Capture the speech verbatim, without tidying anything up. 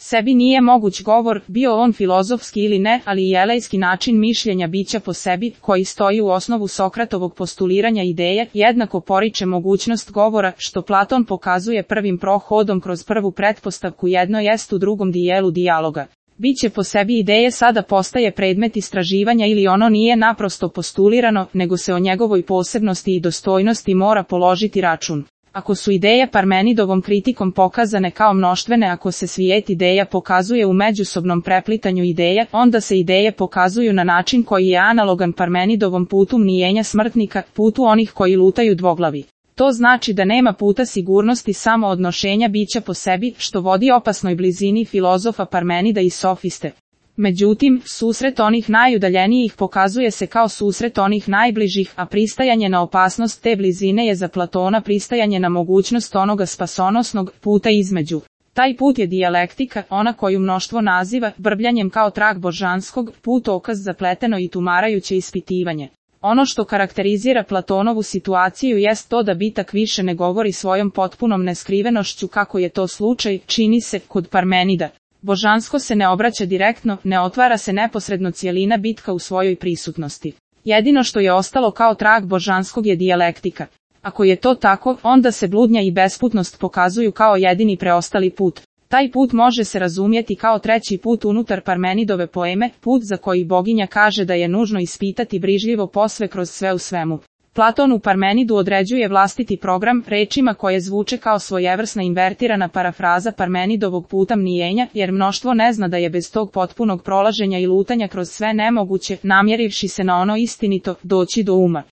sebi nije moguć govor, bio on filozofski ili ne, ali i elejski način mišljenja bića po sebi, koji stoji u osnovu Sokratovog postuliranja ideje, jednako poriče mogućnost govora, što Platon pokazuje prvim prohodom kroz prvu pretpostavku jedno jest u drugom dijelu dijaloga. Biće po sebi ideje sada postaje predmet istraživanja ili ono nije naprosto postulirano, nego se o njegovoj posebnosti i dostojnosti mora položiti račun. Ako su ideje Parmenidovom kritikom pokazane kao mnoštvene, ako se svijet ideja pokazuje u međusobnom preplitanju ideja, onda se ideje pokazuju na način koji je analogan Parmenidovom putu mnijenja smrtnika, putu onih koji lutaju dvoglavi. To znači da nema puta sigurnosti samo odnošenja bića po sebi, što vodi opasnoj blizini filozofa Parmenida i sofiste. Međutim, susret onih najudaljenijih pokazuje se kao susret onih najbližih, a pristajanje na opasnost te blizine je za Platona pristajanje na mogućnost onoga spasonosnog puta između. Taj put je dijalektika, ona koju mnoštvo naziva brbljanjem kao trag božanskog, putokaz zapleteno i tumarajuće ispitivanje. Ono što karakterizira Platonovu situaciju jest to da bitak više ne govori svojom potpunom neskrivenošću kako je to slučaj, čini se, kod Parmenida. Božansko se ne obraća direktno, ne otvara se neposredno cijelina bitka u svojoj prisutnosti. Jedino što je ostalo kao trag božanskog je dijalektika. Ako je to tako, onda se bludnja i besputnost pokazuju kao jedini preostali put. Taj put može se razumjeti kao treći put unutar Parmenidove poeme, put za koji boginja kaže da je nužno ispitati brižljivo posve kroz sve u svemu. Platon u Parmenidu određuje vlastiti program rečima koje zvuče kao svojevrsna invertirana parafraza Parmenidovog puta mnijenja, jer mnoštvo ne zna da je bez tog potpunog prolaženja i lutanja kroz sve nemoguće, namjerivši se na ono istinito, doći do uma.